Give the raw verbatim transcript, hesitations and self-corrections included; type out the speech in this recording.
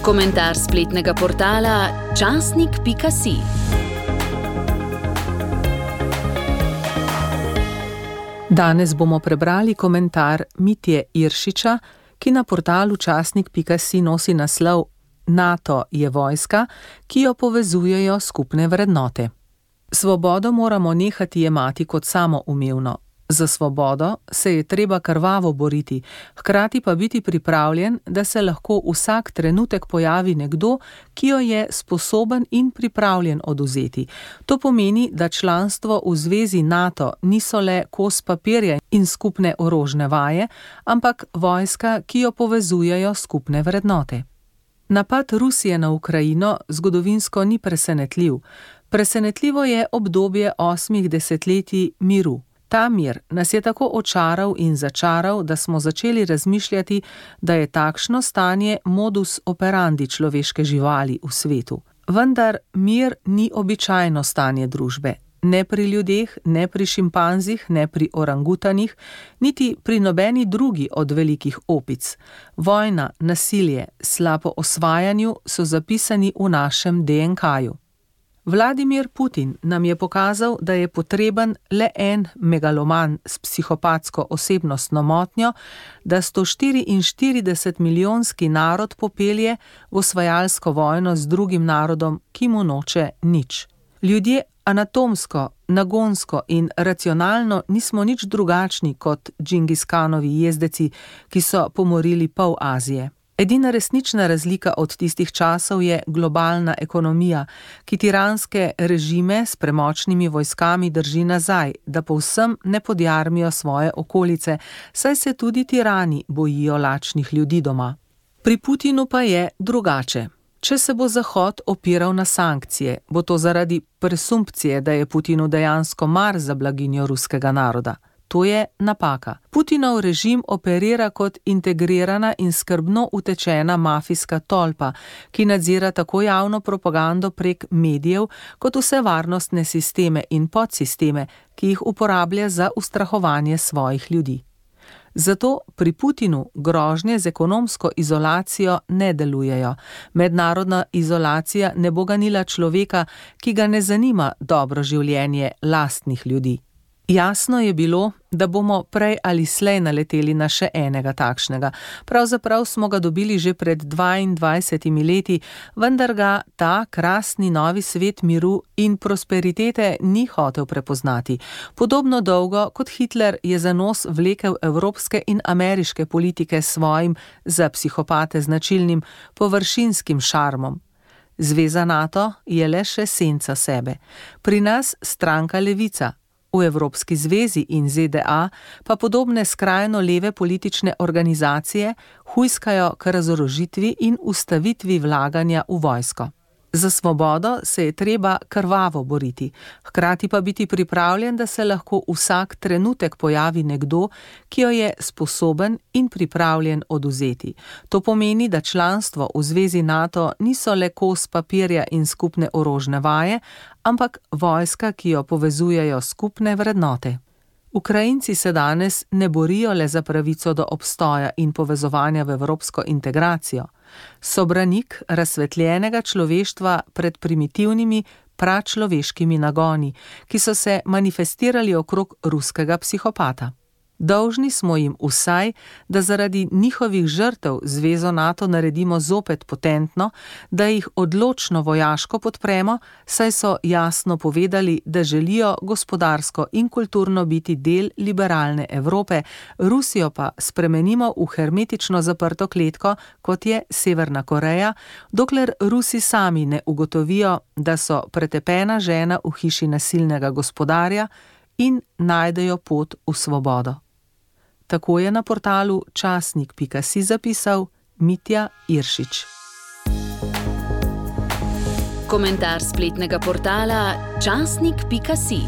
Komentar spletnega portala časnik pika si. Danes bomo prebrali komentar Mitje Iršiča, ki na portalu časnik pika si nosi naslov NATO je vojska, ki jo povezujejo skupne vrednote. Svobodo moramo nehati jemati kot samoumevno. Za svobodo se je treba krvavo boriti, hkrati pa biti pripravljen, da se lahko vsak trenutek pojavi nekdo, ki jo je sposoben in pripravljen odvzeti. To pomeni, da članstvo v zvezi NATO niso le kos papirja in skupne orožne vaje, ampak vojska, ki jo povezujejo skupne vrednote. Napad Rusije na Ukrajino zgodovinsko ni presenetljiv. Presenetljivo je obdobje osmih desetletij miru. Ta mir nas je tako očaral in začaral, da smo začeli razmišljati, da je takšno stanje modus operandi človeške živali v svetu. Vendar mir ni običajno stanje družbe. Ne pri ljudeh, ne pri šimpanzih, ne pri orangutanih, niti pri nobeni drugi od velikih opic. Vojna, nasilje, slabo osvajanju so zapisani v našem de en ka-ju. Vladimir Putin nam je pokazal, da je potreben le en megaloman s psihopatsko osebnostno motnjo, da sto štiriinštirideset milijonski narod popelje v osvajalsko vojno z drugim narodom, ki mu noče nič. Ljudje anatomsko, nagonsko in racionalno nismo nič drugačni kot Džingiskanovi jezdeci, ki so pomorili pol Azije. Edina resnična razlika od tistih časov je globalna ekonomija, ki tiranske režime s premočnimi vojskami drži nazaj, da povsem ne podjarmijo svoje okolice, saj se tudi tirani bojijo lačnih ljudi doma. Pri Putinu pa je drugače. Če se bo Zahod opiral na sankcije, bo to zaradi presumpcije, da je Putinu dejansko mar za blaginjo ruskega naroda. To je napaka. Putinov režim operira kot integrirana in skrbno utečena mafijska tolpa, ki nadzira tako javno propagando prek medijev, kot vse varnostne sisteme in podsisteme, ki jih uporablja za ustrahovanje svojih ljudi. Zato pri Putinu grožnje z ekonomsko izolacijo ne delujejo. Mednarodna izolacija ne bo ganila človeka, ki ga ne zanima dobro življenje lastnih ljudi. Jasno je bilo, da bomo prej ali slej naleteli na še enega takšnega. Pravzaprav smo ga dobili že pred dvaindvajsetimi leti, vendar ga ta krasni novi svet miru in prosperitete ni hotel prepoznati. Podobno dolgo kot Hitler je za nos vlekel evropske in ameriške politike s svojim za psihopate značilnim površinskim šarmom. Zveza NATO je le še senca sebe. Pri nas stranka levica. V Evropski zvezi in ze de a pa podobne skrajno leve politične organizacije hujskajo k razorožitvi in ustavitvi vlaganja v vojsko. Za svobodo se je treba krvavo boriti, hkrati pa biti pripravljen, da se lahko vsak trenutek pojavi nekdo, ki jo je sposoben in pripravljen odvzeti. To pomeni, da članstvo v zvezi NATO niso le kos papirja in skupne orožne vaje, ampak vojska, ki jo povezujejo skupne vrednote. Ukrajinci se danes ne borijo le za pravico do obstoja in povezovanja v evropsko integracijo. So branik razsvetljenega človeštva pred primitivnimi pračloveškimi nagoni, ki so se manifestirali okrog ruskega psihopata. Dolžni smo jim vsaj, da zaradi njihovih žrtev zvezo NATO naredimo zopet potentno, da jih odločno vojaško podpremo, saj so jasno povedali, da želijo gospodarsko in kulturno biti del liberalne Evrope, Rusijo pa spremenimo v hermetično zaprto kletko, kot je Severna Koreja, dokler Rusi sami ne ugotovijo, da so pretepena žena v hiši nasilnega gospodarja in najdejo pot v svobodo. Tako je na portalu časnik pika si zapisal Mitja Iršič. Komentar spletnega portala časnik pika si.